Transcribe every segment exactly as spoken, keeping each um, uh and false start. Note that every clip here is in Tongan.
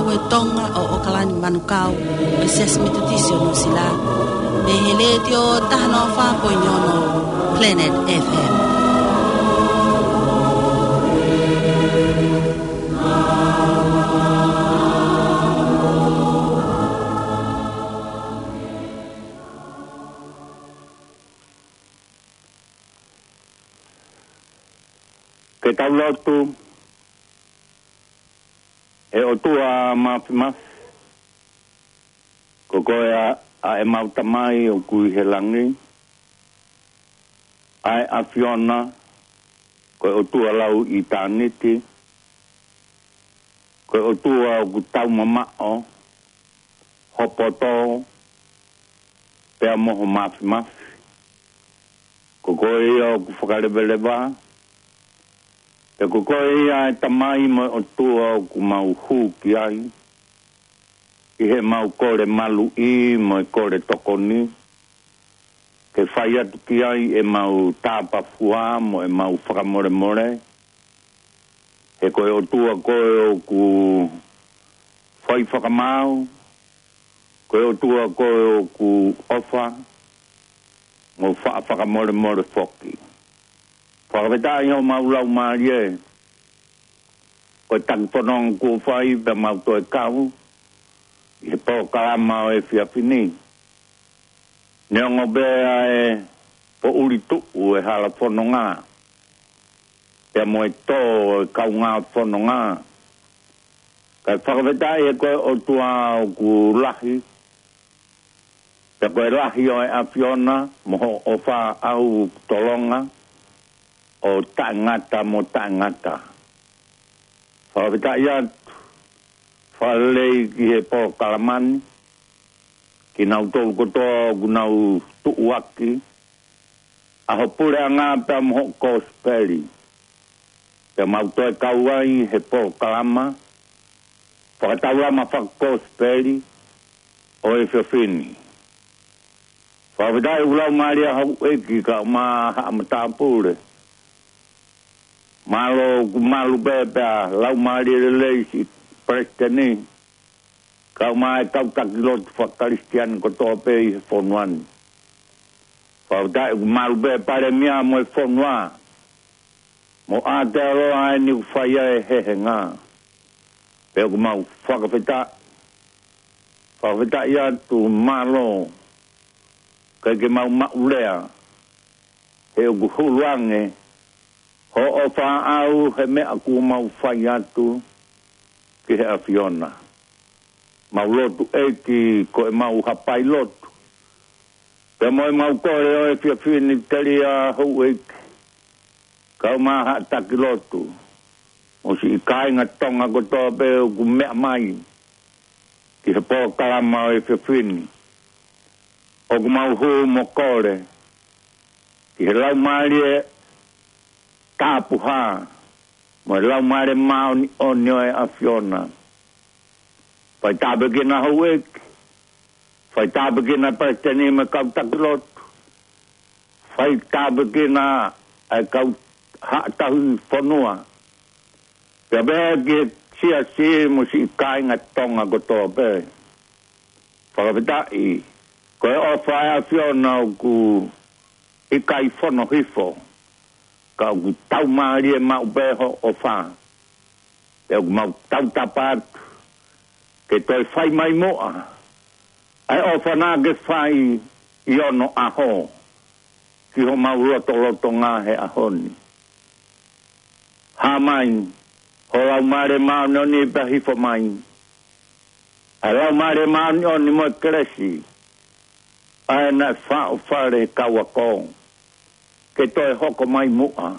Ko e Tonga ʻo ʻAokalani Manukau, ʻo e Siasi Metotisi ʻo Nuʻusila, mei he Letiō taha noa fā poini ono Planet F M. Ke tau lotu. ʻE ʻOtua Māfimafi, ko koe ʻa, ʻa ʻemau Tamai ʻoku ʻi he langi, ʻa e ʻAfiona, ko e ʻOtua lau ʻitāniti, ko e ʻOtua ʻoku taumamaʻo ho poto pea mo ho māfimafi. Ko koe ia ʻoku fakaleveleva, pea ko koe ia ʻa e Tamai mo e ʻOtua ʻoku mau hū ki ai, ʻi heʻemau kole maluʻi mo e kole tokoni, ke fai atu ki ai ʻemau tāpafua mo ʻemau fakamolemole, he ko e ʻOtua koe ʻoku fai fakamaau, ko e ʻOtua koe ʻoku ʻofa, mo faʻa fakamolemole foki. Fakafetaʻi homau laumālie, ko e taki fononga kuo fai pea mau toe kau ʻi he polokalama ʻo e efiafi ni. Neongo pē ʻa e poʻuli tuʻu e hala fononga, pea mo e tō e kaungā fononga. Kae fakafetaʻi he ko e ʻOtua ʻoku lahi, pea ko e lahi ʻo e ʻAfiona mo hoʻo ʻofa ʻoku tolonga ʻo taʻengata mo taʻengata. Fakafetaʻi atu, fakalelei ki he polokalama ni, kinautolu kotoa ʻoku nau tuʻuaki ʻa ho puleʻanga pea mo hoʻo kosipeli. Pea mau toe kau ai he polokalama fakataulama fakakosipeli ʻo e efiafi ni. Fakafetaʻi ʻoku laumālie houʻeiki kae ʻumaʻā haʻa matāpule. Mālō ʻoku malu pē pea laumālie lelei siʻi Palesiteni, kae ʻumaʻā e kau taki lotu fakakalisitiane kotoa pē ʻi he fonua ni. Fakafetaʻi ʻoku malu pē Palēmia mo e fonua, mo Aotearoa ʻa eni ʻoku fai ai e hehenga. Pea ʻoku mau fakafetaʻi, fakafetaʻi atu, mālō, ʻikai ke mau maʻu lea, he ʻoku hulu ange hoʻo ʻofa ʻaʻau he meʻa kuo mau fai atu ki he ʻAfiona. Mau lotu ʻEiki ko ʻemau hapai lotu, pea mo ʻemau kole ʻo e efiafi ni telia houʻeiki, kae ʻumaʻā haʻa taki lotu, mo siʻi kāinga Tonga kotoa pē ʻoku meʻa mai ki he polokalama ʻo e efiafi ni. ʻOku mau hū mo kole ki he Laumālie Tapuhā mo e Laumālie Māʻoniʻoni ʻo e ʻAfiona. Fai tāpuekina houʻeiki, fai tāpuekina Palesiteni mo e kau taki lotu, fai tāpuekina ʻa e kau haʻa tauhi fonua, pea pehē ki he siasi mo siʻi kāinga Tonga kotoa pē. Fakafetaʻi, ko e ʻofa ʻa e ʻAfiona ʻoku ʻikai fono hifo, ka ʻoku taumālie maʻu pē hoʻo ʻofa. Pea ʻoku mau tautapa atu ke toe fai mai muʻa ʻa e ʻofa naʻa ke fai ʻi onoʻaho ki homau lotolotonga he ʻaho ni. Hā mai ho Laumālie Māʻoniʻoni pea hifo mai ʻa e Laumālie Māʻoniʻoni mo e kelesi, ʻa ē naʻe faʻofale he kau ako, ke toe hoko mai muʻa.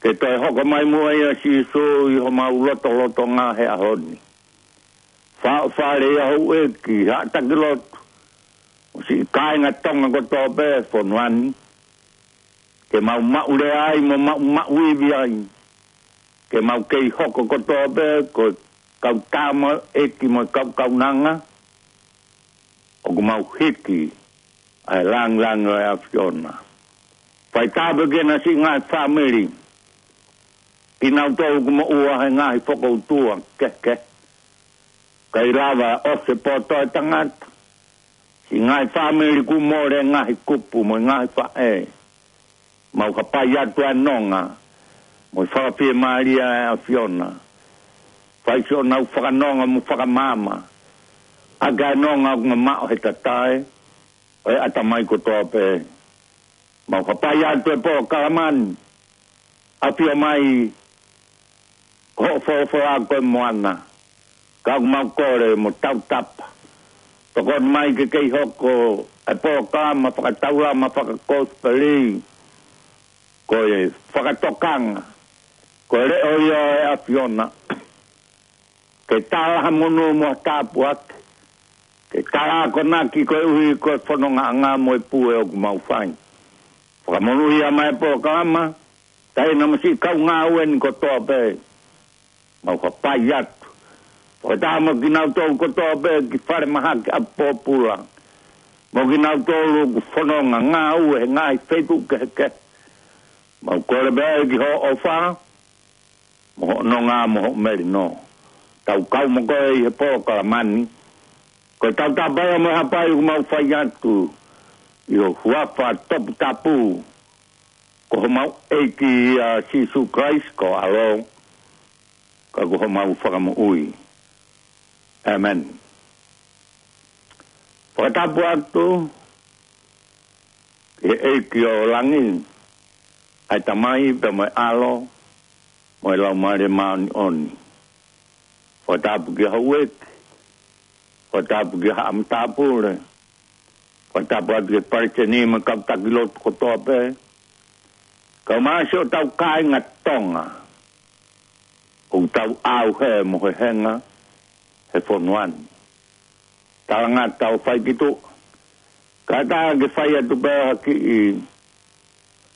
Ke toe hoko mai muʻa ʻia Sīsū ʻi homau lotolotonga he ʻaho ni. Faʻofale ʻa houʻeiki, haʻa taki lotu, mo siʻi kāinga Tonga kotoa pē fonua ni, ke mau maʻu lea ai mo mau maʻu ivi ai, ke mau kei hoko kotoa pē ko e kau tamaioʻeiki mo e kau kaunanga, ʻoku mau hiki ʻa e lāngilangi ʻo e ʻAfiona. Fai tāpuekina siʻi ngaahi fāmili, kinautolu ʻoku moʻua he ngaahi fokoutua kehekehe, Kae lava ʻo se poto e tangata. Siʻi ngaahi fāmili kuo mole, ngaahi kupu mo e ngaahi faʻē. Mau hapai atu ʻa e nonga mo e fakafiemālie ʻa e ʻAfiona. Fai siʻonau fakanonga mo fakamaama ʻaki ʻa e nonga ʻoku mamaʻo he tatae ʻo e ʻatamai kotoa pē. Mau hapai atu e polokalama ni, ʻafio mai hoʻo folofola ko e moana. Ka ʻoku mau kole mo tautapa, tokoni mai ke kei hoko e polokalama fakataulama fakakosipeli ko e fakatokanga, ko e leʻo ia ʻo e ʻAfiona, ke tala ha monū mo ha tāpuaki, ke tala akonaki koeʻuhi ko e fonongaʻanga mo e pue ʻoku mau fai. Fakamonūʻia mai e polokalama, taina mo siʻi kau ngāue ni kotoa pē. Mau hapai atu, fakataha mo kinautolu kotoa pē ki falemahaki ʻapupōpula, mo kinautolu ʻoku fononga ngāue he ngaahi feituʻu kehekehe. Mau kole pē ki hoʻo ʻofa mo hoʻo nonga mo hoʻo melino. Tau kau mo koe ʻi he polokalama ni. Ko e tautapa ia mo e hapai ʻoku mau fai atu ʻi ho huafa toputapu, ko homau ʻEiki ʻa Sīsū Kalaisi ko ho ʻAlo, ka ko homau Fakamoʻui. ʻĒmeni. Fakatapu atu ki he ʻEiki ʻo langi, ʻa e Tamai pea mo e ʻAlo mo e Laumālie Māʻoniʻoni. Fakatapu ki he houʻeiki, fakatapu ki he haʻa matāpule, fakatapu atu ki he palesiteni mo e kau taki lotu kotoa pē, kae ʻumaʻā siʻotau kāinga Tonga ʻoku tau ʻauhē mo hehenga he fonua ni. Talangata ʻo fai ki tuʻa, kātaki ke fai atu pē ha kiʻi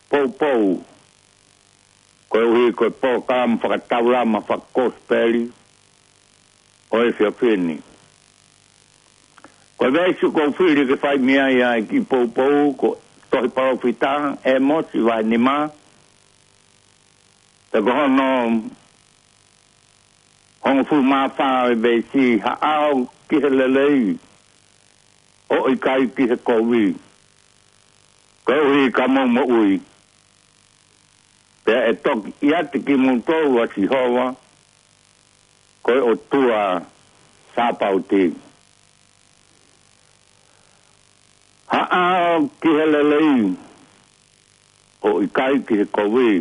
poupou koeʻuhi ko e polokalama fakataulama fakakosipeli ʻo e efiafi ni. Ko e veesi ʻoku ou fili ke fai mei ai ʻa e kiʻi poupou ko e tohi palōfita ʻĒmosi vahe nima, pea ko hono hongofulu mā fā ʻo e veesi: Haʻao ki he lelei, ʻo ʻikai ki he kovi, koeʻuhi ka mou moʻui. Pea ʻe toki ʻiate kimoutolu ʻa Sihova, ko e ʻOtua Sāpaoti. Haʻao ki he lelei, ʻo ʻikai ki he kovi,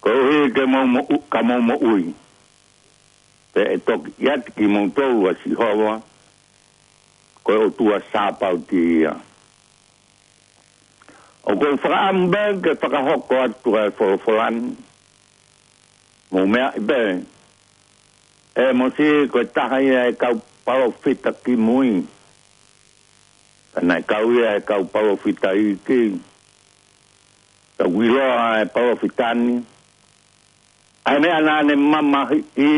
koeʻuhi ke mou moʻu-, ka mou moʻui. Pea ʻe toki ʻiate kimoutolu ʻa Sihova, ko e ʻOtua Sāpaoti ia. ʻOku ou fakaʻamu pē ke fakahoko atu ʻa e folofola ni. Mou meaʻi pē, ʻĒmosi ko e taha ia e kau palōfita kimui. Ka naʻe kau ia he kau palōfita iiki. Ka ʻoku ʻiloa e palōfita ni, ʻa e meʻa naʻa ne mamahiʻi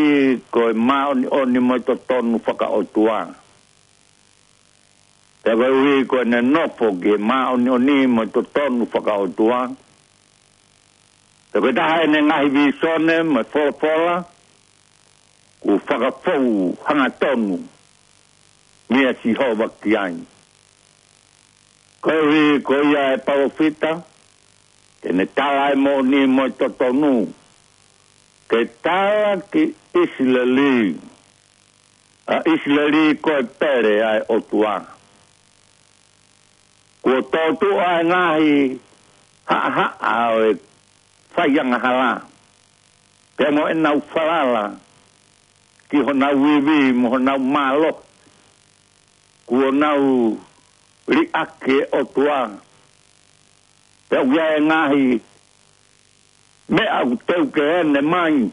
ko e māʻoniʻoni mo e totonu fakaʻotua. Pea koeʻuhi ko ʻene nofo ki he māʻoniʻoni mo e totonu fakaʻotua, pea ko e taha ʻene ngaahi vīsone mo e folofola kuo fakafou hangatonu meia Sihova ki ai. Koeʻuhi ko ia e palōfita, te ne tala e moʻoni mo e totonu, ke tala ki ʻIsileli, ʻa ʻIsileli ko e pele ʻa e ʻOtua. Kuo tōtuʻa e ngaahi haʻahaʻa ʻo e fai angahala, pea mo ʻenau falala ki honau ivi mo honau mālohi, kuo nau liʻaki e ʻOtua. Pea ʻoku ʻi ai e ngaahi meʻa ʻoku teu ke ʻene mai,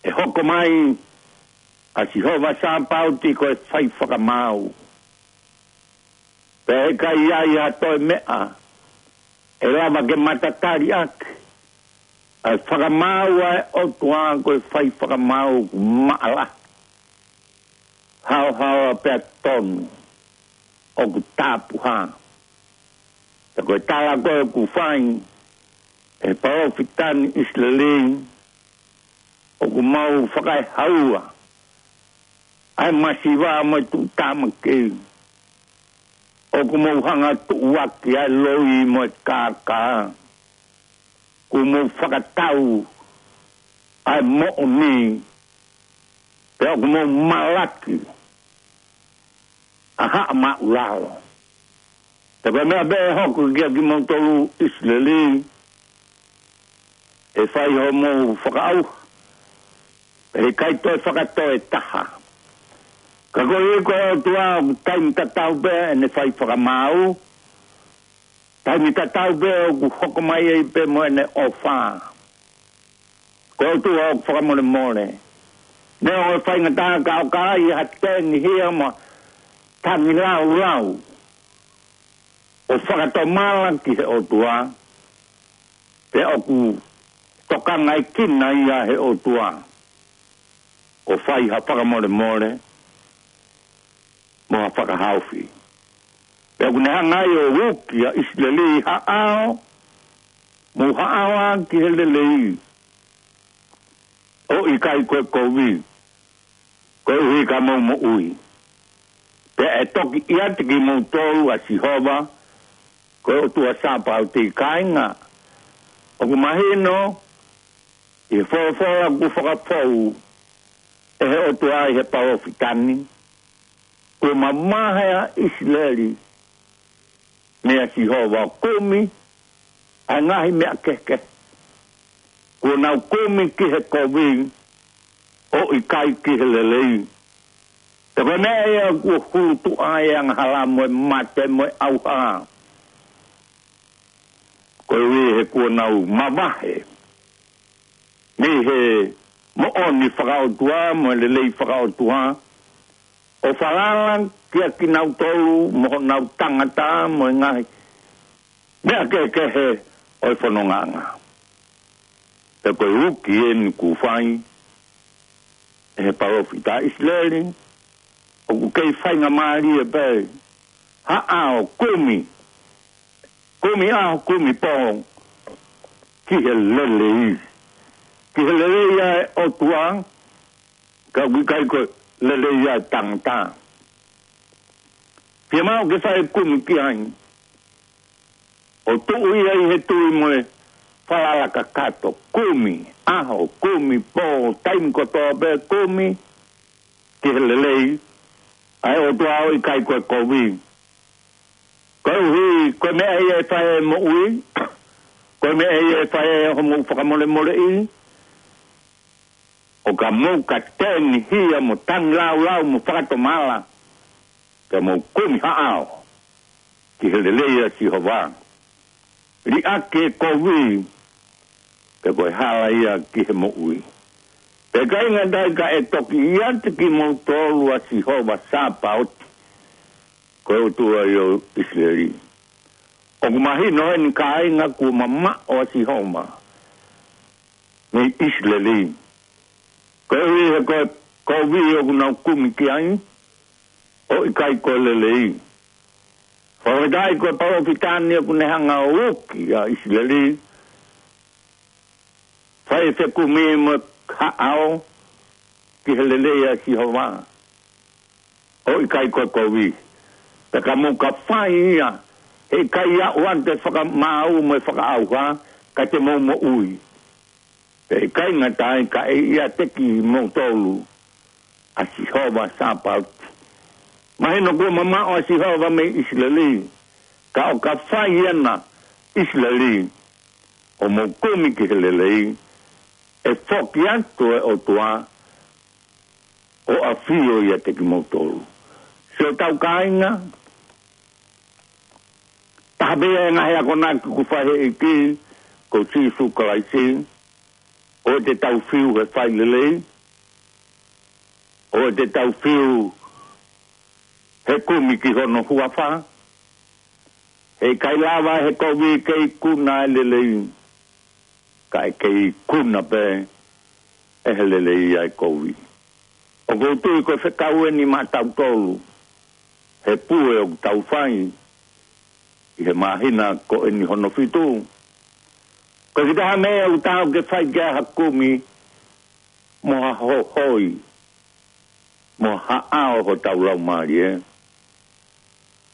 ʻe hoko mai ʻa Sihova Sāpaoti ko e fai fakamaau. Pea ʻe ʻikai ʻi ai ha toe meʻa ʻe lava ke matatali ʻaki ʻa e fakamaau ʻa e ʻOtua, ko e fai fakamaau ʻoku maʻalahi, haohaoa pea tonu, ʻoku tapuhā. Pea ko e tala ko ē ʻoku fai ʻe he palōfita ni ʻIsileli, ʻoku mau fakaehaua ʻa e masiva mo e tuʻutāmaki. ʻOku mau hanga tuʻuaki ʻa e loi mo e kākā. Kuo mau fakatau ʻa e moʻoni, pea ʻoku mau malaki ʻa Haʻa Māʻulalo. Pea ko e meʻa pē ʻe hoko kiate kimoutolu ʻIsileli, ʻe fai hoʻomou fakaʻauha, ʻe ʻikai toe fakatoe taha. Ka koeʻuhi ko e ʻOtua ʻoku taimi tatau pē ʻene fai fakamaau, taimi tatau pē ʻoku hoko mai ai pē mo ʻene ʻofa. Ko e ʻOtua ʻoku fakamolemole. Neongo e faingataʻa ka ʻoka ʻi ai ha tēnihia mo e tangilāulau ʻo fakatomala ki he ʻOtua, pea ʻoku tokangaʻekina ia he ʻOtua ʻo fai ha fakamolemole mo ha fakahaofi. Pea ʻoku ne hanga ai ʻo uki ʻa ʻIsileli, haʻao, mou haʻao ā ki he lelei, ʻo ʻikai ko e kovi, koeʻuhi ka mou moʻui. Pea ʻe toki ʻiate kimoutolu ʻa Sihova, ko e ʻOtua Sāpaoti. Kāinga, ʻoku mahino ʻi he folofola kuo fakafou ʻe he ʻOtua ʻi he palōfita ni, kuo mavahe ʻa ʻIsileli meia Sihova ʻo kumi ʻa e ngaahi meʻa kehekehe. Kuo nau kumi ki he kovi, ʻo ʻikai ki he lelei. Pea ko e meʻa ia kuo hulutuʻa ai e angahala mo e mate mo e ʻauha, koeʻuhi he kuo nau mavahe mei he moʻoni fakaʻotua mo e lelei fakaʻotua, ʻo falala kiate kinautolu mo honau tangata mo e ngaahi meʻa kehekehe ʻo e fonongaʻanga. Pea ko e uki eni kuo fai ʻe he palōfita ʻa ʻIsileli, ʻoku kei faingamālie pē. Haʻao, kumi, kumi ʻaho, kumi pō ki he lelei. Ki he lelei ʻa e ʻOtua, ka ʻoku ʻikai ko e lelei ʻa e tangata. Fiemaʻu ke fai e kumi ki ai, ʻo tuʻu ia ʻi he tui mo e falala kakato. Kumi ʻaho, kumi pō, taimi kotoa pē kumi ki he lelei ʻa e ʻOtua, ʻo ʻikai ko e kovi. Koeʻuhi ko e meʻa ia ʻe fai ai e moʻui, ko e meʻa ia ʻe fai ai hoʻomou fakamolemoleʻi, ʻo ka mou ka tēnihia mo tangilāulau mo fakatomala, ka mou kumi haʻao ki he lelei ʻa Sihova. Liʻaki e kovi, pea ko e hala ia ki he moʻui. Pea kāinga, ʻe ʻikai ka ʻe toki ʻiate kimoutolu ʻa Sihova Sāpaoti, ko e ʻOtua ʻo ʻIsileli. ʻOku mahino eni, kāinga, kuo mamaʻo ʻa Sihova mei ʻIsileli, koeʻuhi he ko e kovi ʻoku nau kumi ki ai, ʻo ʻikai ko e lelei. Fakafetaʻi ko e palōfita ni ʻoku ne hanga ʻo uki ʻa ʻIsileli, fai e fekumi mo e haʻao ki he lelei ʻa Sihova, ʻo ʻikai ko e kovi. Pea ka mou ka fai ia, he ʻikai aʻu atu e fakamaau mo e fakaʻauha, ka te mou moʻui. Pea ʻe ʻikai ngata ai, ka ʻe ʻiate kimoutolu ʻa Sihova Sāpaoti. Mahino kuo mamaʻo ʻa Sihova mei ʻIsileli, ka ʻo ka fai ena ʻIsileli, ʻo mou kumi ki he lelei, ʻe foki atu e ʻOtua ʻo ʻafio ʻiate kimoutolu. Siʻotau kāinga, taha pē ia e ngaahi akonaki kuo fai ʻe he ʻEiki ko Sīsū Kalaisi, ʻoua te tau fiu he fai lelei, ʻoua te tau fiu he kumi ki hono huafa, he ʻikai lava he kovi ke ikuna e lelei, ka ʻe kei ikuna pē ʻe he lelei ʻa e kovi. ʻOku ou tui ko e fekau eni maʻatautolu, he pue ʻoku tau fai ʻi he māhina ko eni hono fitu. Ko e kiʻi taha meʻa ʻoku taau ke fai ki ai ha kumi, mo ha hohoi, mo ha ʻao hotau laumālie,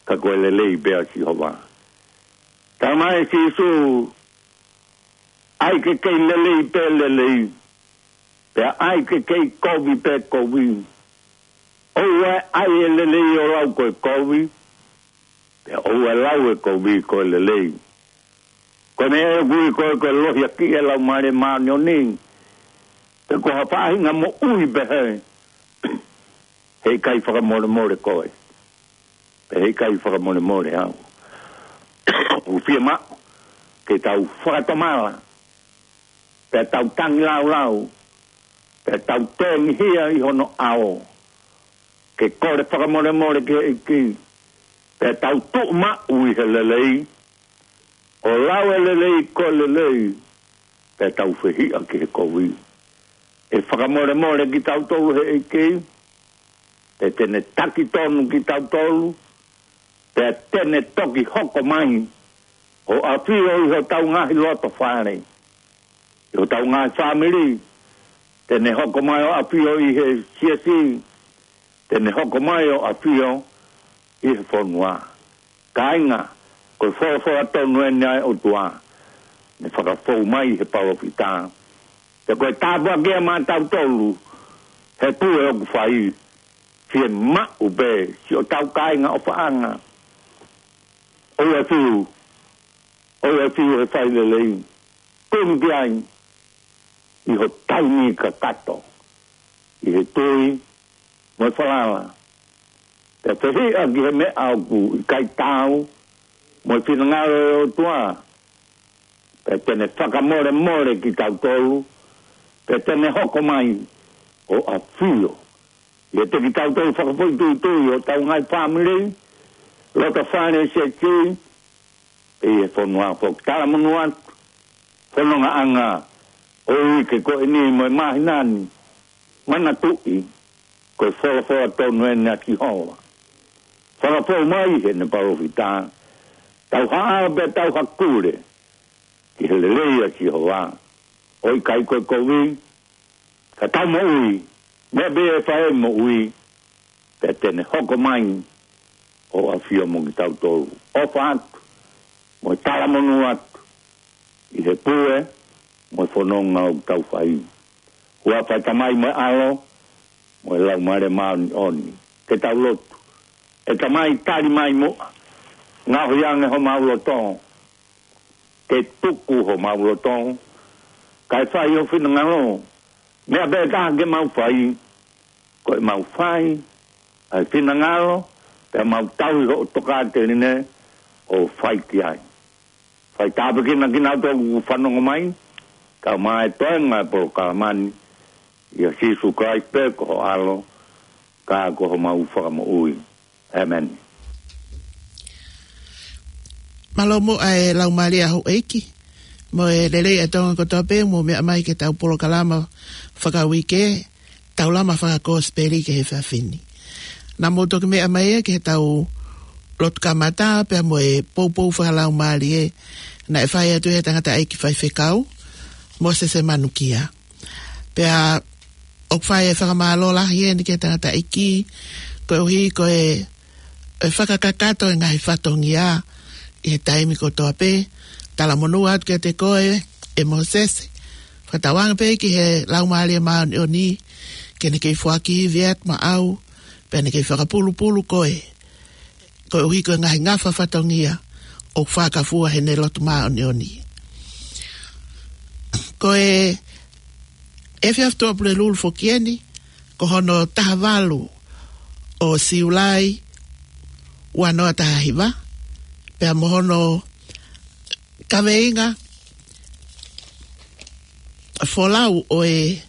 ka ko e lelei pē ʻa Sihova. Talamai ʻe Sīsū, ʻai ke kei lelei pē lelei, pea ʻai ke kei kovi pē kovi. ʻOua ʻe ʻai e lelei ʻo lau ko e kovi, pea ʻoua ʻe lau e kovi ko e lelei. Ko e meʻa ʻoku ui ko e, ko e lohiakiʻi e Laumālie Māʻoniʻoni, pe ko ha faʻahinga moʻui pehē, heʻikai fakamolemole koe, pea heʻikai fakamolemole au. ʻOku fiemaʻu ke tau fakatomala, pea tau tangilāulau, pea tau tengihia ʻi hono ʻao, ke kole fakamolemole ki he ʻEiki, pea tau tuʻu maʻu ʻi he lelei, ʻo lau e lelei ko e lelei, pea tau fehiʻa ki he kovi. ʻE fakamolemole kitautolu ʻe he ʻEiki, pea te ne taki tonu kitautolu, pea te ne toki hoko mai ʻo ʻafio ʻi hotau ngaahi loto fale, ʻi hotau ngaahi fāmili, te ne hoko mai ʻo ʻafio ʻi he siasi, te ne hoko mai ʻo ʻafio ʻi he fonua. Kāinga, ko e folofola tonu eni ʻa e ʻOtua, ne fakafou mai he palōfita. Pea ko e tāpuaki ia maʻatautolu, he pule ʻoku fai, fiemaʻu pē siʻotau kāinga ʻofaʻanga, ʻoua ʻe fiu, ʻoua ʻe fiu he fai lelei, tonu ki ai ʻi ho taimi kakato, ʻi he tui mo e falala. Pea fehiʻa ki he meʻa ʻoku ʻikai taau mo e finangalo ʻo e ʻOtua, pea te ne fakamolemole kitautolu, pea te ne hoko mai ʻo ʻafio ʻiate kitautolu fakafoʻituitui, ʻi hotau ngaahi fāmili, loto fale, siasi, pea ʻi he fonua foki. Talamonū atu, fonongaʻanga ʻo e uike ko eni mo e māhina ni, manatuʻi, ko e folofola tonu eni ʻa Sihova. Fakafou mai heʻene palōfita, tau haʻa pea tau hakule ki he lelei ʻa Sihova, ʻo ʻikai ko e kovi, ka tau moʻui, meʻa pē ʻe fai ai e moʻui, pea te ne hoko mai ʻo ʻafio mo kitautolu. ʻOfa atu, mo e talamonū atu, ʻi he pule mo e fononga ʻoku tau fai. Huafa ʻo e Tamai mo e ʻAlo mo e Laumālie Māʻoniʻoni. Ke tau lotu. ʻE Tamai, tali mai muʻa, ngaohi ange homau loto, ke tuku homau loto, kae fai ho finangalo. Meʻa pē taha ke mau fai, ko ʻemau fai ʻa e finangalo, pea mau tauhi hoʻo tokāteline ʻo fai ki ai. Fai tāpuekina kinautolu ʻoku fanongo mai, kae ʻumaʻā e toenga e polokalama ni, ʻia Sīsū Kalaisi pē ko ho ʻAlo, ka ko homau Fakamoʻui. ʻĒmeni. Mālō muʻa e laumālie ʻa houʻeiki, mo e lelei ʻa e Tonga kotoa pē, mou meʻa mai ki heʻetau polokalama fakauike, Taulama Fakakosipeli ki he efiafi ni. Naʻa mou toki meʻa mai ia ki heʻetau lotu kamata, pea mo e poupou fakalaumālie naʻe fai atu ʻe he tangataʻeiki faifekau, Mōsese Manukia. Pea ʻoku fai e fakamālō lahi eni ki he tangataʻeiki, koeʻuhi ko e, e fakakakato e ngaahi fatongia ʻi he taimi kotoa pē. Talamonū atu kiate koe, ʻe Mōsese. Fakatauange pē ki he Laumālie Māʻoniʻoni, ke ne kei foaki ivi atu maʻau, pea ne kei fakapulupulu koe, koeʻuhi ko e ngaahi ngafa fatongia ʻoku fakafua heʻene lotu māʻoniʻoni. Ko e efiafi Tuʻapulelulu foki eni, ko hono taha valu ʻo Siulai ua noa taha hiva, pea mo hono kaveinga folau ʻo e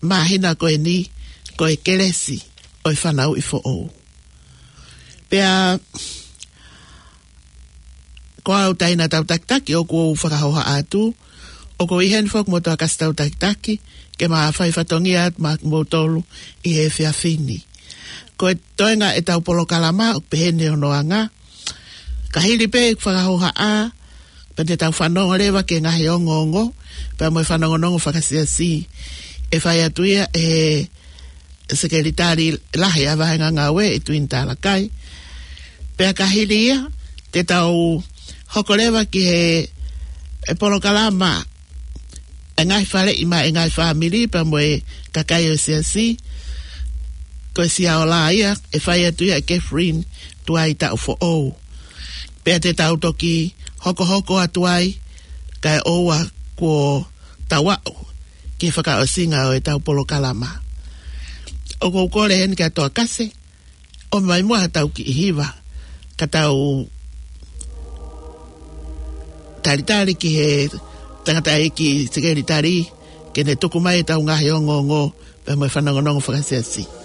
māhina ko eni, ko e kelesi ʻo e fanauʻi foʻou. Pea ko au taina tau takitaki ʻoku ou fakahoha atu, ʻoku ou ʻi heni foki mo Toakasi tau takitaki, ke ma fai fatongia atu maʻa kimoutolu ʻi he efiafi ni. Ko e toenga ʻetau polokalama, ʻoku pehē ni hono anga. Ka hili pē ʻeku fakahohaʻa, pea te tau fanongo leva ki he ngaahi ongoongo, pea mo e fanongonongo fakasiasi. ʻe fai atu ia ʻe he Sekelitali Lahi ʻa e Vahenga Ngāue ʻi Tuini Talakai. Pea ka hili ia, te tau hoko leva ki he, he polokalama ʻa e ngaahi faleʻi maʻa e ngaahi fāmili pea mo e kakai ʻo e siasi, ko e Sia Ola ia, ʻe fai atu ia ʻe Catherine Tuai Taʻufoʻou. Pea te tau toki hokohoko atu ai, kae ʻoua kuo tau aʻu ki he fakaʻosinga ʻo ʻetau polokalama. ʻOku ou kole heni kia Toa Kase, ʻomai muʻa haʻatau kiʻi hiva, ka tau talitali ki he tangataʻeiki sekelitali, ke ne tuku mai ʻetau ngaahi ongoongo, pea mo e fanongonongo fakasiasi.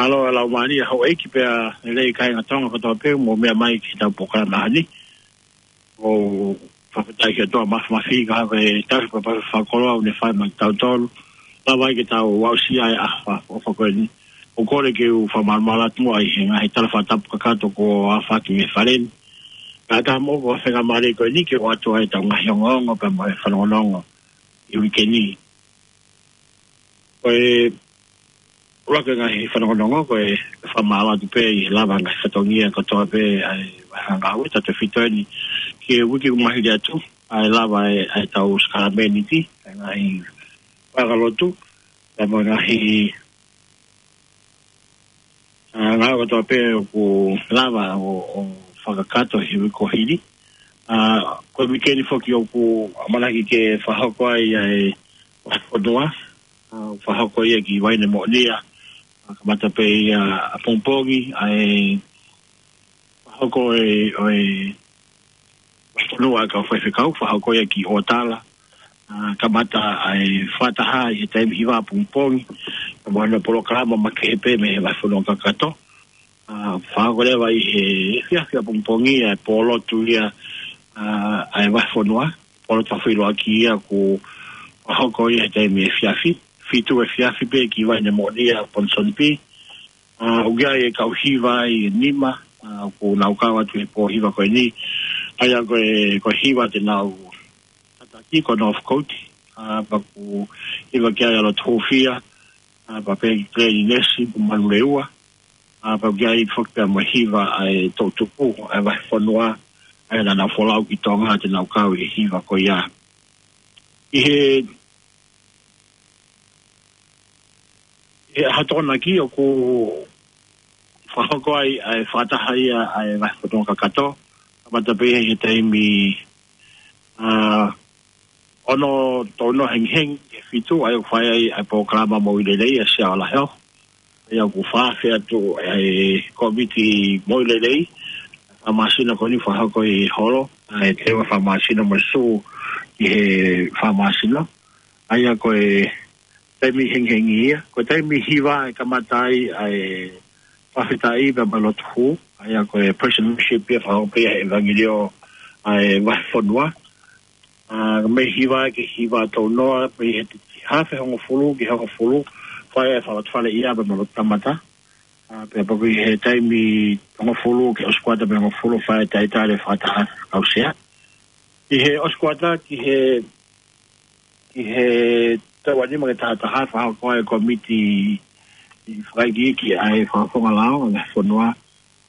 Mālō e laumālie houʻeiki pea lelei kāinga Tonga kotoa pē ʻoku mou meʻa mai ki heʻetau polokalama ni. ʻOku fakafetaʻi ki he ʻOtua Māfimafi ka hake tau papa fakakoloa ʻoku ne fai maʻa kitautolu. Lava ai ke tau aʻusia e ʻaho fakaʻofoʻofa ko eni. ʻOku ou kole ke u fakamalumalu atu muʻa ʻi he ngaahi tala fakatapu kakato kuo aofaki mei he fale ni. Kae ʻatā mo e faingamālie ko eni ke ʻoatu ai ʻetau ngaahi ongoongo pea mo e fanongonongo ʻi he uike ni. Ko e ʻuluaki ngaahi fanongonongo ko e fakamālō atu pē ʻi he lava ngaahi fatongia kotoa pē ʻa e Vahenga Ngāue tautefito eni ki he uike kuo maliu atu, ʻa e lava ʻa e, ʻa ʻetau sākalamēniti, ʻa e ngaahi vaheʻanga lotu, pea mo e ngaahi, ʻa, ngāue kotoa pē ʻoku lava ʻo, ʻo fakakakato he uike kuo hili. ʻA, ko e uike ni foki ʻoku ʻamanaki ke fakahoko ai ʻa e vahefonua, ʻa, fakahoko ia ki Vainemoʻonia, ʻa, kamata pē ia ʻapongipongi, ʻa e fakahoko e, ʻo e vahefonua ʻa e kau faifekau, fakahoko ia ki ʻOtala, ʻa, kamata ʻa e fakataha ʻi he taimi hiva ʻapongipongi, ʻa, mo e polokalama makehe pē mei he vahefonua kakato. ʻA, fakahoko leva ʻi he efiafi ʻapongipongi ʻa e pōlotu ia, ʻa, ʻa e vahefonua, pōlotu fakaʻuluaki ia kuo fakahoko ia he taimi efiafi, fitu efiafi pē ki Vainemoʻonia Ponsonby. ʻA, ʻoku ʻi ai e kau hiva ʻe nima, ʻa, ʻoku nau kau atu he pō hiva ko eni, ʻa ia ko e, ko e hiva te nau tataki ko Northcote, ʻa, pea ʻoku hiva ki ai ʻa Loto Hufia, ʻa, pea pehē ki Glenn Inesi, Manurewa, ʻa, pea ʻoku ʻi ai foki pea mo e hiva ʻa e toʻutupu ʻa e vahefonua, ʻa ia naʻa nau folau ki Tonga te nau kau ʻi he hiva ko ia. ʻI he, he ʻaho Tokonaki ʻoku fakahoko ai ʻa e fakataha ia ʻa e vahefonua kakato, kamata pē he taimi, ʻa, ono tolu noa hengihengi ki he fitu, ʻa ia ʻoku fai ai ʻa e polokalama moʻui lelei ʻa e Sia Ola Health. ʻA ia ʻoku fakaafe atu ʻa e kōmiti moʻui lelei, fakamāsina ko eni fakahoko ʻi he holo, ʻa e teua fakamāsina mo e sū ki he fakamāsina. ʻA ia ko e taimi hengihengi ia, ko e taimi hiva ʻe kamata ai ʻa e Fakafetaʻi pea mo e lotu hū, ʻa ia ko e praise and worship ia fakahoko pē ʻe he ʻevangeliō ʻa e vahefonua. ʻA, mei he hiva ki he hiva tolu noa, mei he hafe hongofulu ki he hongofulu, fai e fakalotu fale ia pea mo e lotu kamata. ʻA, pea pea ko e taimi hongofulu ki he ʻosi kuata mei he hongofulu, fai e talitali fakataha kau sea. Ki he ʻosi kuata, ki he, ki he taʻu nima ki he taha taha, fakahoko ai e kōmiti fakaikiiki ʻa e fakafofonga lao ʻa e fonua,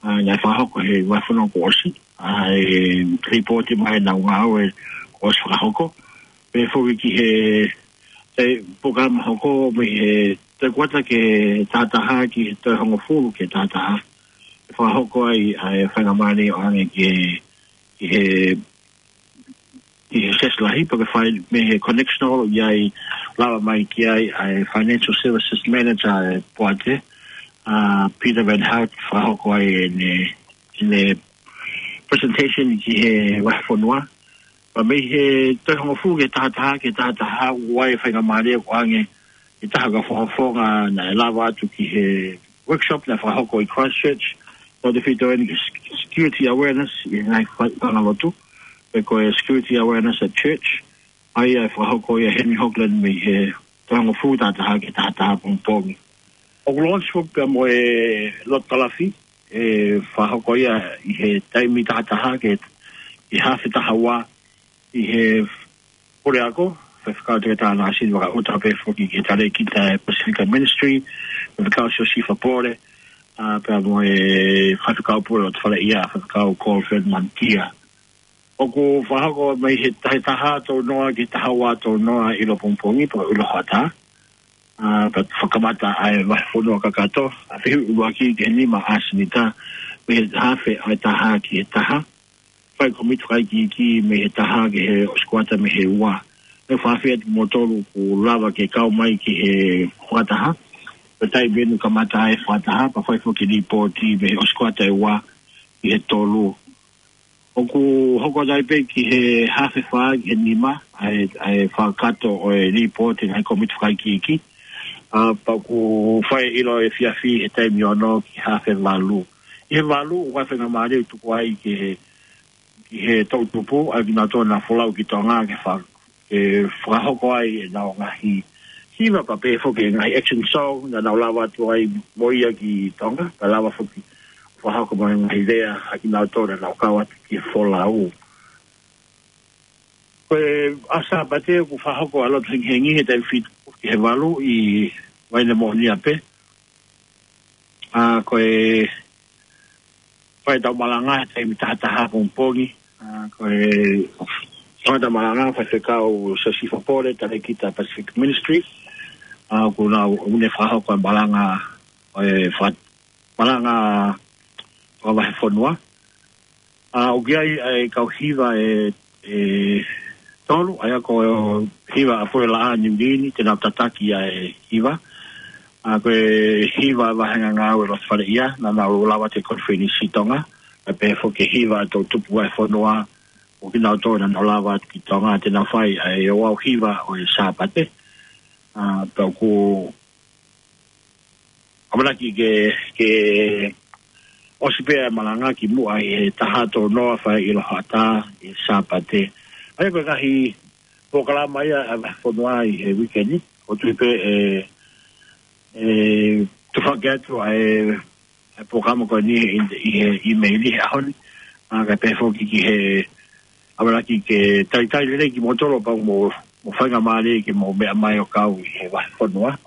ʻa, naʻe fakahoko he vahefonua kuo ʻosi, ʻa, e lipooti mai ʻenau ngāue kuo ʻosi fakahoko. Pea foki ki he, he polokalama hoko mei he taʻu kuata ki he taha taha ki he taʻu hongofulu ki he taha taha. Fakahoko ai ʻa e faingamālie ʻo ʻoange ki he, ki he, ki he Siasi Lahi, pea ke fai mei he connectional ʻoku ʻi ai, lava mai ki ai ʻa e Financial Services Manager ʻa e poate, ʻa Peter Van Hout, fakahoko ai ʻene, ʻene presentation ki he vahefonua. Pea mei he taʻu hongofulu ki he taha taha, ki he taha taha, ʻoku ʻi ai e faingamālie ʻo ʻoange ʻe he taha ʻo e kau fakafofonga naʻe lava atu ki he workshop naʻe fakahoko ʻi Christchurch, ʻo te fito eni ki he security awareness ʻi he ngaahi fa-, fangalotu, pe ko e security awareness at church, ʻa ia ʻe fakahoko ia ʻe Henry Hogland mei he taʻu hongofulu taha taha ki he taha taha pongipongi. ʻOku launch foki pea mo e lotu kalafi, ʻe fakahoko ia ʻi he taimi taha taha ki he, ki he hafe taha ua, ʻi he puleako, Faifekau Toketā Nāsini Vakaʻuta, pea foki ki he talēkita ʻa e Pacific Ministry, Faifekau Siosifa Pole, ʻa, pea mo e faifekau pule ʻo e fale ia, Faifekau Colford Manukia. ʻOku fakahoko mei he taha taha tolu noa ki he taha ua tolu noa ʻi he pongipongi, pe ko e ʻuluaki hoʻatā. ʻA, pea fakamatala ʻa e vahefonua kakato, ʻa e fehuʻi ʻuluaki ki he nima ʻa e senitā, mei he hafe ʻa e taha ki he taha. Fai kōmiti fakaikiiki mei he taha ki he ʻosi kuata mei he ua. Naʻe fakaafeʻi atu kimoutolu kuo lava ke kau mai ki he fakataha. Pea taimi ʻe ua kamata ai e fakataha, pea fai foki lipooti mei he ʻosi kuata ʻe ua ki he tolu. ʻOku hoko atu ai pē ki he hafe fā ki he nima, ʻa e, ʻa e fakakakato ʻo e lipooti ʻa e ngaahi kōmiti fakaikiiki. ʻA, pea ʻoku fai ʻilo efiafi he taimi ono ki he hafe valu. ʻI he valu, ʻoku ʻi ai e faingamālie ʻoku tuku ai ki he, ki he toʻutupu, ʻa kinautolu naʻa folau ki Tonga ke fa-, ke fakahoko ai ʻenau ngaahi hiva pea pehē foki e ngaahi action song, naʻa nau lava atu ai mo ia ki Tonga, pea lava foki fakahoko mai e ngaahi lea ʻa kinautolu naʻa nau kau atu ki he folau. Ko e ʻaho Sāpate ʻoku fakahoko ʻa e lotu hengihengi he taimi fitu ki he valu ʻi Vainemoʻonia pē. ʻA, ko e fai ʻetau malanga he taimi taha taha pongipongi. ʻA, ko e fai ʻetau malanga, Faifekau Siosifa Pole, talēkita Pacific Ministry. ʻA, ʻoku nau, ʻoku ne fakahoko e malanga, ʻo e fa-, malanga ʻo e vahefonua. ʻA, ʻoku ʻi ai e kau hiva ʻe, ʻe tolu, ʻa ia ko e hiva ʻa Pule Laʻā Niu Guini, te nau tataki ʻa e hiva. ʻA, ko e hiva ʻa e vāhenga ngāue loto fale ia, naʻa nau lava atu ki he konifelenisi Tonga, pea pehē foki e hiva ʻa e toʻutupu vahefonua, ʻo kinautolu naʻa nau lava atu ki Tonga, te nau fai ʻa e ouau hiva ʻo e Sāpate. ʻA, pea ʻoku ʻamanaki ke, ke ʻosi pē ʻa e malanga kimuʻa ʻi he taha tolu noa fai ʻi he ʻuluaki hoʻatā ʻi he Sāpate. ʻA ia ko e ngaahi polokalama ia ʻa e vahefonua ʻi he uike ni, ʻoku ou tui pē ʻe, ʻe tufaki atu ʻa e, ʻa e polokalama ko eni ʻi, ʻi he ʻīmeili he ʻaho ni, ʻa, kae pehē foki ki he ʻamanaki ke talitali lelei kimoutolu pea mo, mo faingamālie ke mou meʻa mai ʻo kau ʻi he vahefonua.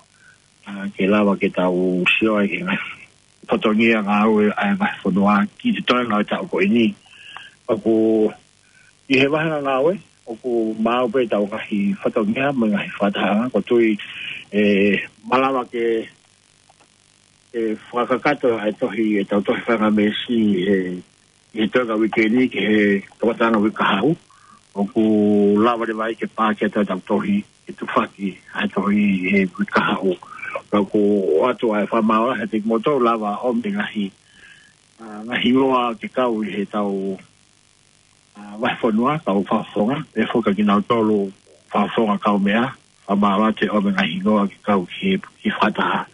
ʻA, ke lava ke tau sio ai ki he ngaahi fatongia ngāue ʻa e vahefonua ki he toenga ʻo e taʻu ko eni. ʻOku ʻi he vāhenga ngāue, ʻoku maau pē ʻetau ngaahi fatongia mo e ngaahi fakatahaʻanga, ʻoku ou tui ʻe malava ke, ʻe fakakakato ʻa e tohi, ʻetau tohi fanga mēsi he, he toenga uike ni ki he tokotaha uike kahaʻu. ʻOku lava leva ai ke paaki ʻetau tohi, ke tufaki ʻa e tohi he uike kahaʻu. Pea ʻoku ʻoatu ʻa e fakamaau he te kimoutolu lava ʻo ʻomai ngaahi, ʻa, ngaahi hingoa ke kau ʻi heʻetau, ʻa, vahefonua, kau fakafofonga, pehē foki kinautolu fakafofonga kaumeʻa, fakamaau atu ʻo ʻomai ngaahi hingoa ke kau ki he, ki he fakataha.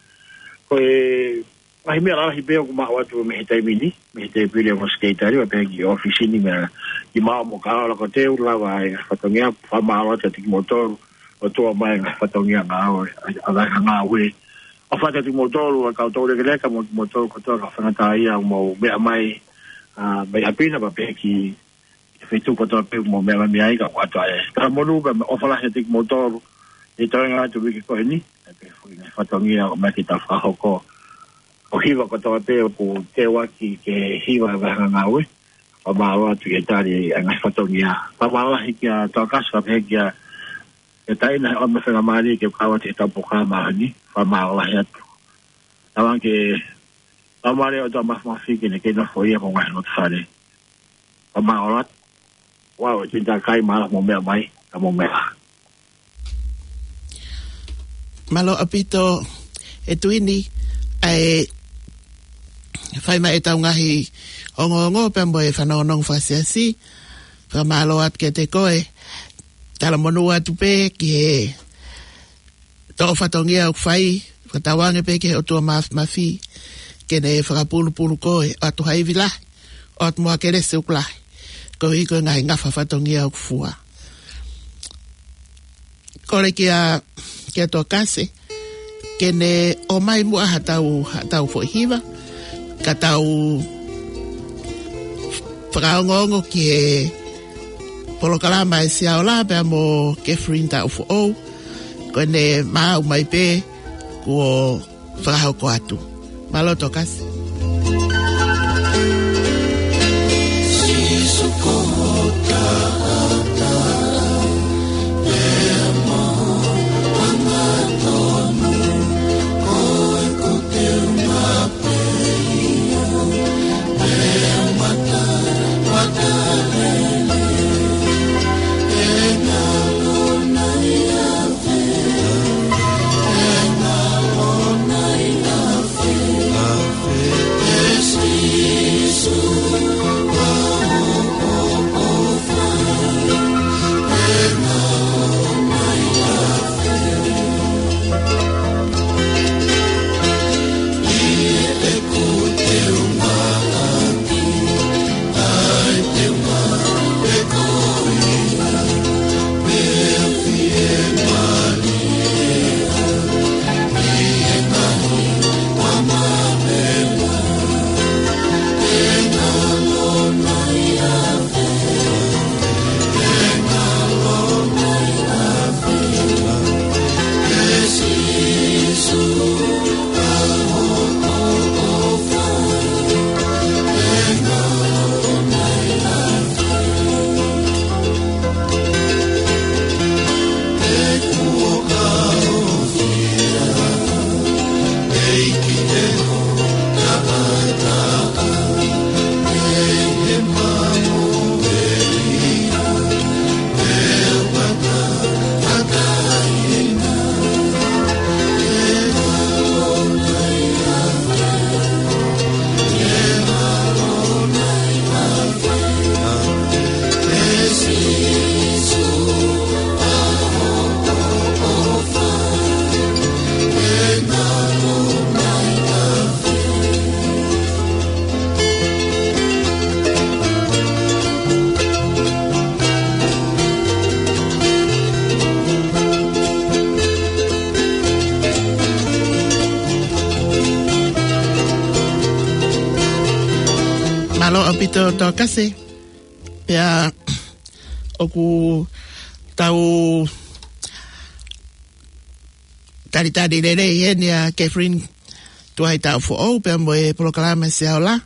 Ko e Ngaahi meʻa lalahi pē ʻoku maʻu atu mei he taimi ni, mei he tēpile ʻo e Sekelitali, ʻo pehē ki he ʻōfisi ni, meʻa ki māua mo Kaola, ko e teu lava e ngaahi fatongia. Fakamālō atu kiate kimoutolu, ʻo tuku mai e ngaahi fatongia ngāue, ʻa e ngāue. ʻOfa atu kiate kimoutolu, ʻa e kau toulekeleka mo kimoutolu kotoa, kau faingataʻaʻia, mou meʻa mai, ʻa, mei ʻapi na, pea pehē ki he feituʻu kotoa pē ʻoku mou meʻa mai ai, kae ʻoatu ʻa e talamonū pea mo e ʻofa lahi kiate kimoutolu ʻi he toenga atu e uike ko eni, ʻa e pehē foki e ngaahi fatongia ʻoku ʻomai ke tau fakahoko. Ko e hiva kotoa pē ʻoku teuaki ke hiva e vāhenga ngāue, fakamālō atu ki he tali ʻa e ngaahi fatongia. Fakamālō lahi kia Tokasi, pea pehē kia, kia Taina, ʻoku mou faingamālie ke kau atu ki heʻetau polokalama he ʻaho ni. Fakamālō lahi atu. Tauange ke Tamai ʻoku ʻofa mafimafi ke ne kei nofo ia mo e ngaahi loto fale. Fakamālō atu. Ua, ʻe tui takai mālō mou meʻa mai, ka mou meʻa. Mālō ʻaupito e Tuini, ʻa e fai mai ʻetau ngaahi ongoongo pea mo e fanongonongo fakasiasi. Fakamālō atu kiate koe. Talamonū atu pē ki he toʻo fatongia ʻoku fai, fakatauange pē ki he ʻOtua Mafimafi ke ne fakapulupulu koe, ʻoatu ha ivi lahi, ʻoatu mo ha kelesi ʻoku lahi, koeʻuhi ko e ngaahi ngafa fatongia ʻoku fua. Kole kia, kia Tokasi ke ne ʻomai muʻa haʻatau, haʻatau foʻi hiva, ka tau fakaongoongo ki he polokalama ʻa e Siaola pea mo Catherine Taʻufoʻou. Ko ʻene maʻu mai pē kuo fakahoko atu. Mālō Tokasi. Mālō ʻaupito Tokasi. Pea ʻoku tau talitali lelei eni ʻa Catherine Tuʻai Taʻufoʻou pea mo e polokalama Siaola.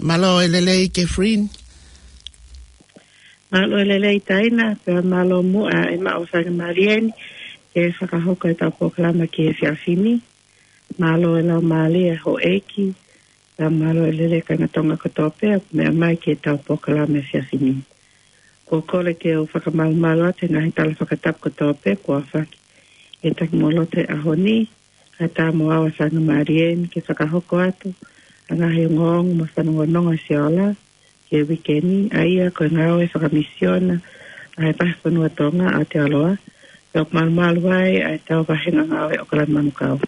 Mālō e lelei Catherine. Mālō e lelei Taina, pea mālō muʻa e maʻu faingamālie ni ke fakahoko ʻetau polokalama ki he efiafi ni. Mālō e laumālie houʻeiki, pea mālō e lelei kāinga Tonga kotoa pē ʻoku meʻa mai ki heʻetau polokalama efiafi ni. Ko e kole ke u fakamalumalu atu he ngaahi tala fakatapu kotoa pē kuo aofaki ʻe he Takimoloto he ʻaho ni, kae ʻatā mo au e faingamālie ni ke fakahoko atu ʻa e ngaahi ongoongo mo e fanongonongo ʻa Siaola ki he uike ni, ʻa ia ko e ngāue fakamisiona ʻa e Vahefonua Tonga ʻa Aotearoa, pea ʻoku malumalu ai ʻa ʻetau vāhenga ngāue ʻo Kalani Manukau.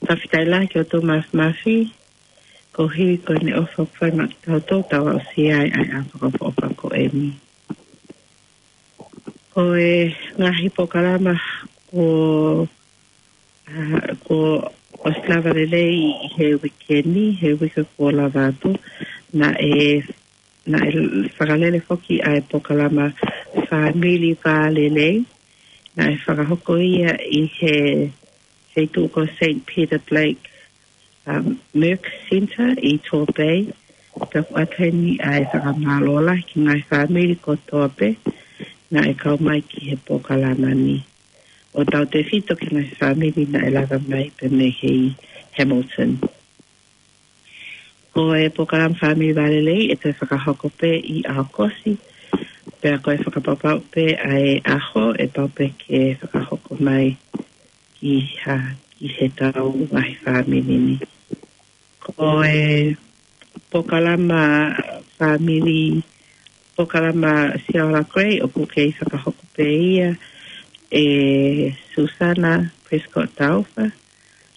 Tafitaʻi lahi ki hoʻo mafimafi, koeʻuhi ko ʻene ʻofa ʻoku fai maʻa kitautolu, tau aʻusia ai ʻa e ʻaho fakaʻofoʻofa ko eni. Ko e ngaahi polokalama kuo, ʻa, kuo ʻosi lava lelei ʻi he uike ni, he uike kuo lava atu, naʻe, naʻe fakalele foki ʻa e polokalama Fāmili Vā Lelei, naʻe fakahoko ia ʻi he, he feituʻu ko Saint Peter Blake, um, Merck Centre ʻi Tor Bay. Pea ʻoku ʻatā eni ʻa e fakamālō lahi ki he ngaahi fāmili kotoa pē naʻe kau mai ki he polokalama ni, ʻo tautefito ki he ngaahi fāmili naʻe lava mai pē mei he Hamilton. Ko e polokalama Fāmili Vā Lelei ʻe toe fakahoko pē ʻi ʻAokosi, pea ko e fakapapau pē ʻa e ʻaho ʻe pau pē ke fakahoko mai ki ha, ki heʻetau ngaahi fāmili ni. Ko e polokalama fāmili, polokalama Siaola Gray, ʻoku kei fakahoko pē ia ʻe Susana Prescott Taufa.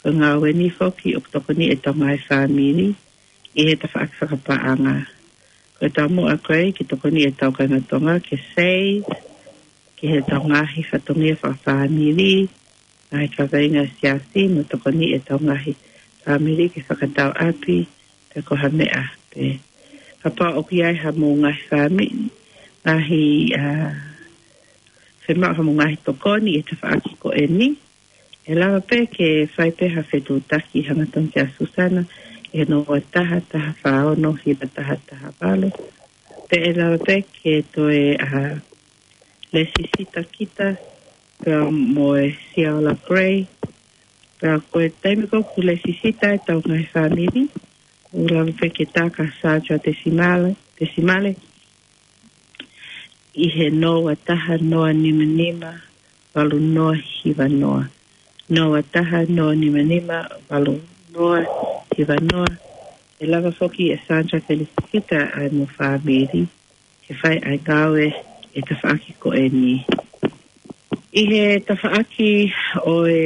Ko e ngāue ni foki ʻoku tokoni ʻetau ngaahi fāmili ʻi he tafaʻaki fakapaʻanga. Ko ʻetau muʻa ko ē ke tokoni ʻetau kāinga Tonga ke save, ki heʻetau ngaahi fatongia fakafāmili, ngaahi kaveinga siasi, mo tokoni ʻetau ngaahi fāmili ke fakatau ʻapi, pe ko ha meʻa pē. Kapau ʻoku ʻi ai haʻamou ngaahi fāmili, ngaahi, ʻa, fiemaʻu haʻamou ngaahi tokoni ʻi he tafaʻaki ko eni, ʻe lava pē ke fai pē ha fetuʻutaki hangatonu kia Susana ʻi he noa taha, taha fā ono, hiva taha, taha valu. Pe ʻe lava pē ke toe, ʻa, lēsisita kita pea mo e Siaola Gray. Pea ko e taimi ko ē ʻoku lēsisita ʻetau ngaahi fāmili, ʻoku lava pē ke tā ki he Sandra Desimale, Desimale, ʻi he noa taha noa nima nima valu noa hiva noa. Noa taha noa nima nima valu noa hiva noa. ʻE lava foki ʻe Sandra ke lēsisita ʻa hoʻomou fāmili ke fai ʻa e ngāue ʻi he tafaʻaki ko eni. ʻI he tafaʻaki ʻo e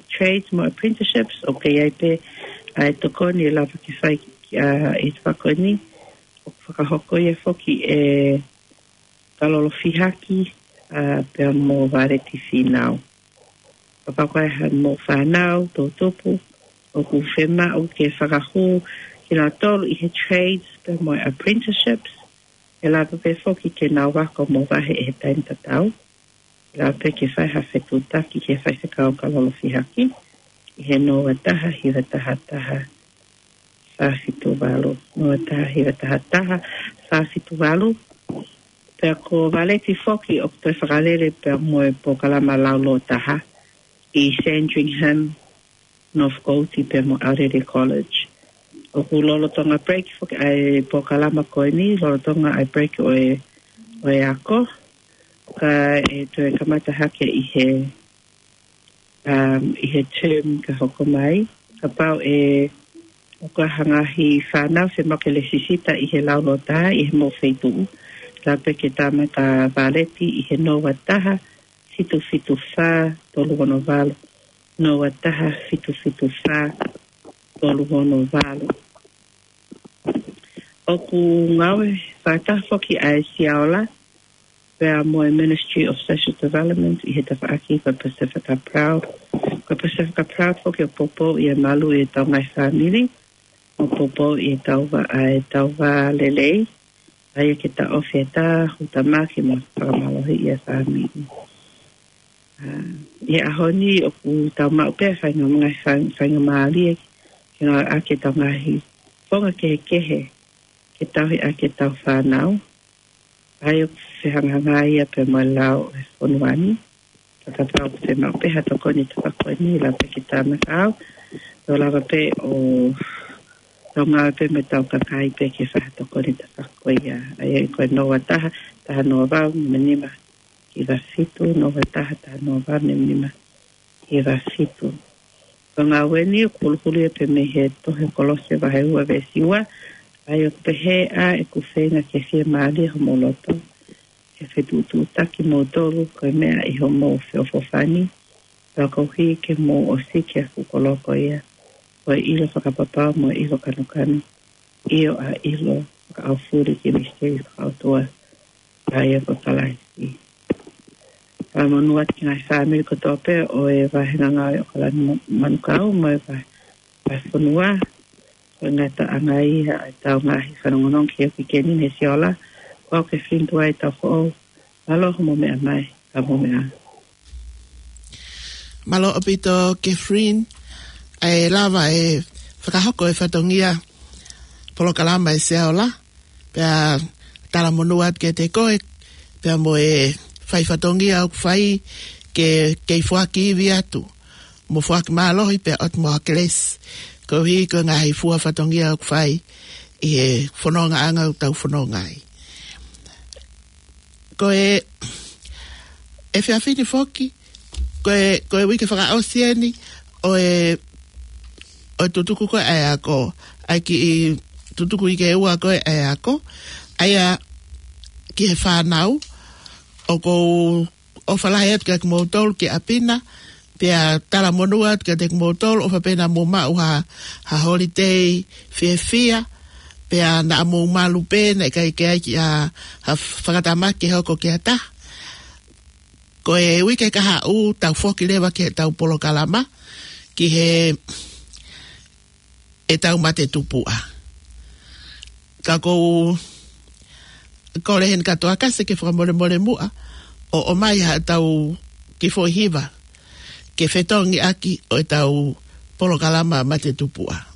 trades mo apprenticeships, ʻoku ʻi ai pē ʻa e tokoni ʻe lava ke fai, ʻa, ʻi he tafaʻaki ko eni, ʻoku fakahoko ia foki ʻe Kalolo Fihaki, ʻa, pea mo Valeti Fīnau. Kapau ko e hā haʻamou fānau toʻutupu ʻoku fiemaʻu ke fakahū kinautolu ʻi he trades pea mo e apprenticeships, ʻe lava pē foki ke nau ako mo vahe ʻi he taimi tatau. ʻE lava pē ke fai ha fetuʻutaki ki he faifekau Kalolo Fihaki ʻi he noa taha hiva taha taha fā fitu valu, noa taha hiva taha taha fā fitu valu. Pea ko Valeti foki ʻoku toe fakalele pea mo e polokalama Lau Lōtaha ʻi Sandringham, North Coast pea mo ʻAulele College. ʻOku lolotonga break foki ʻa e polokalama ko eni, lolotonga ʻa e break ʻo e, ʻo e ako. Kae toe kamata hake ʻi he, um, ʻi he term ka hoko mai. Kapau ʻe, ʻoku ʻi ai ha ngaahi fānau fiemaʻu ke lēsisita ʻi he Lau Lōtaha ʻi homou feituʻu, lava pē ke tā mai kia Valeti ʻi he noa taha fitu fitu fā tolu ono valu, noa taha fitu fitu fā tolu ono valu. ʻOku ngāue fakataha foki ʻa e Siaola pea mo e Ministry of Social Development ʻi he tafaʻaki ko e Pasifika Proud. Ko e Pasifika Proud foki ʻoku poupou ʻi he malu ʻi heʻetau ngaahi fāmili, ʻoku poupou ʻi heʻetau vā, ʻa, ʻetau vā lelei, ʻa ia ke taʻofi ʻa e tā, hutamaki mo fakamālohiʻi ʻa e fāmili. ʻA, ʻi he ʻaho ni ʻoku tau maʻu pē faingamālie, fai-, faingamālie ke ngāueʻaki ʻetau ngaahi founga kehekehe ke tauhi ʻaki ʻetau fānau. ʻA ia ʻoku fehangahangai ia pea mo e lao ʻo e fonua ni. Ka kapau ʻoku fiemaʻu pē ha tokoni ʻi he tafaʻaki ko eni, lava pē ke tā mai kia au. Tau lava pē ʻo tau ngāue pē mo ʻetau kakai pē ke fai ha tokoni ʻi he tafaʻaki ko ia. ʻA ia ko e noa taha, taha noa valu, nima nima, hiva fitu, noa taha, taha noa valu, nima nima, hiva fitu. Ko e ngāue ni ʻoku huluhulu ia pē mei he tohi Kolose vahe ua veesi ua, ʻa ia ʻoku pehē: ʻA ʻeku feinga ke fiemālie homou loto, ke fetuʻutuʻutaki kimoutolu ko e meʻa ʻi homou feʻofoʻofani, pea koeʻuhi ke mou ʻosi ki he fuʻu koloa ko ia. ko e ʻilo fakapapau mo e ʻilo kanokano, ʻio ʻa e ʻilo fakaʻaufuli ki he misiteli fakaʻotua ʻa ia ko Kalaisi. Fakamonū atu ki he ngaahi fāmili kotoa pē ʻo e vahenga ngāue ʻo Kalani Manukau mo e vahefonua. Ko e ngataʻanga ia ʻetau ngaahi fanongonongo ki he uike ko eni, Sia Ola. Ko au Kefilini Tuʻai Taufoʻou. Mālō hoʻomou meʻa mai, ka mou meʻa. Mālō ʻaupito Kefilini, ʻa e lava e fakahoko e fatongia polokalama ʻe Sia Ola, pea talamonū atu kiate koe, pea mo e fai fatongia ʻoku fai ke, kei foaki ivi atu, mo foaki mālohi pea ʻoatu mo ha kelesi, koeʻuhi ko e ngaahi fua fatongia ʻoku fai ʻi he fonongaʻanga ʻoku tau fononga ai. Ko e, ʻe fia fini foki, ko e, ko e uike fakaʻosi eni ʻo e, ʻo e tutuku ko ē ʻa e ako, ʻa e kiʻi tutuku ʻi he ua ko ē ʻa e ako, ʻa ia ki he fānau, ʻoku ou ʻofa lahi atu kiate kimoutolu ki ʻapi na, pea talamonū atu kiate kimoutolu, ʻofa pē naʻa mou maʻu ha, ha holiday fiefia, pea naʻa mou malu pē, naʻe ʻikai ke ʻi ai ha, ha fakatamaki ke hoko ki ha taha. Ko e uike kahaʻu tau foki leva ki heʻetau polokalama, ki he, ʻetau mate tupuʻa. Ka ʻoku ou kole heni kātoa kasi ke fakamolemole muʻa, ʻo ʻomai haʻatau kiʻi foʻi hiva, ke fetongi ʻaki ʻo ʻetau polokalama mate tupuʻa.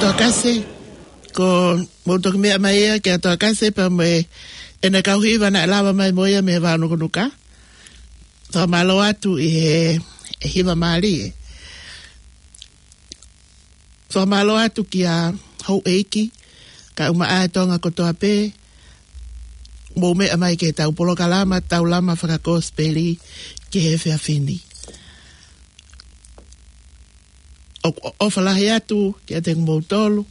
Toa Kase, ko mou toki meʻa mai ia kia Toa Kase pea mo ʻene kau hiva naʻe lava mai mo ia mei he vao Nukunuka. Fakamālō atu ʻi he, he hiva mālie. Fakamālō atu kia houʻeiki, kae ʻumaʻā e Tonga kotoa pē, mou meʻa mai ki heʻetau polokalama Taulama Fakakosipeli ki he efiafi ni. ʻOku ʻofa lahi atu kiate kimoutolu,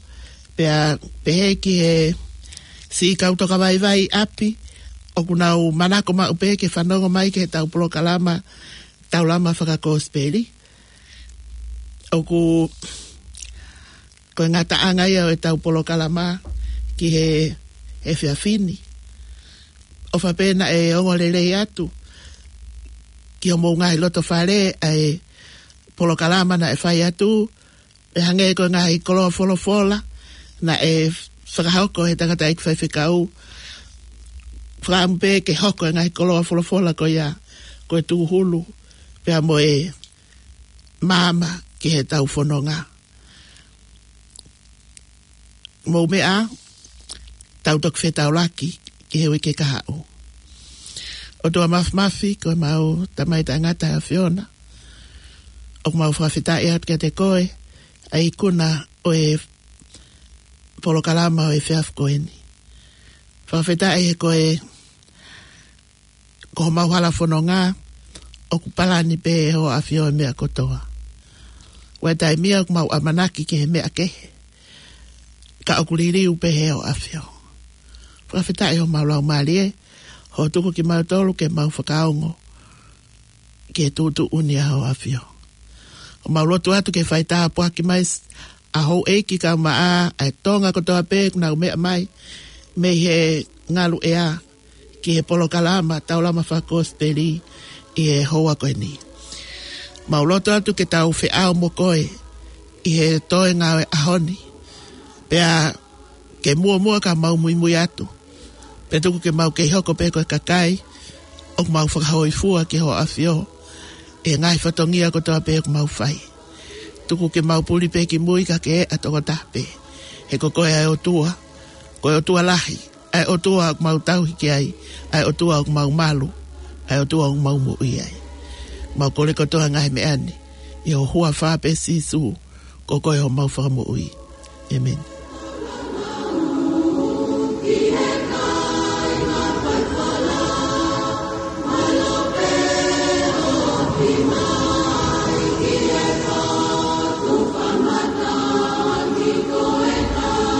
pea pehē ki he siʻi kau tokavaivai ʻi ʻapi, ʻoku nau manako maʻu pē ke fanongo mai ki heʻetau polokalama Taulama Fakakosipeli. ʻOku, ko e ngataʻanga ia ʻo ʻetau polokalama ki he, he efiafi ni. ʻOfa pē naʻe ongo lelei atu ki homou ngaahi loto fale ʻa e polokalama naʻe fai atu, ʻe hangē ko e ngaahi koloa folofola naʻe fakahoko he tangataʻeiki faifekau. Fakaʻamu pē ke hoko e ngaahi koloa folofola ko ia, ko e tūhulu pea mo e maama ki heʻetau fononga. Mou meʻa, tau toki fetaulaki ki he uike kahaʻu. ʻOtua Māfimafi, ko ʻemau Tamai Taʻengata ʻa e ʻAfiona, ʻoku mau fakafetaʻi atu kiate koe, ʻa e ikuna ʻo e polokalama ʻo e efiafi ko eni. Fakafetaʻi he ko e, ko homau hala fononga, ʻoku palani pē ʻe Hoʻo ʻAfio e meʻa kotoa. ʻOku ʻi ai e taimi ia ʻoku mau ʻamanaki ki he meʻa kehe, ka ʻoku liliu pē ʻe Hoʻo ʻAfio. Fakafetaʻi homau laumālie, hoʻo tuku kimautolu ke mau fakaongo ki he tuʻutuʻuni ʻa Hoʻo ʻAfio. ʻOku mau lotu atu ke fai tāpuaki mai ʻa houʻeiki kae ʻumaʻā ʻa e Tonga kotoa pē ʻoku nau meʻa mai mei he ngalu ʻea ki he polokalama Taulama Fakakosipeli ʻi he houa ko eni. Mau lotu atu ke tau feʻao mo koe ʻi he toenga ʻo e ʻaho ni. Pea ke muʻomuʻa ka mau muimui atu, pea tuku ke mau kei hoko pē ko e kakai ʻoku mau fakahōifua ki Hoʻo ʻAfio ʻi he ngaahi fatongia kotoa pē ʻoku mau fai. Tuku ke mau puli pē ki mui ka ke ʻa tokotaha pē. He ko koe ʻa e ʻOtua, ko e ʻOtua lahi, ʻa e ʻOtua ʻoku mau tauhi ki ai, ʻa e ʻOtua ʻoku mau malu, ʻa e ʻOtua ʻoku mau moʻui ai. Mau kole kotoa e ngaahi meʻa ni ʻi ho huafa pē Sīsū, ko koe homau Fakamoʻui. ʻĒmeni.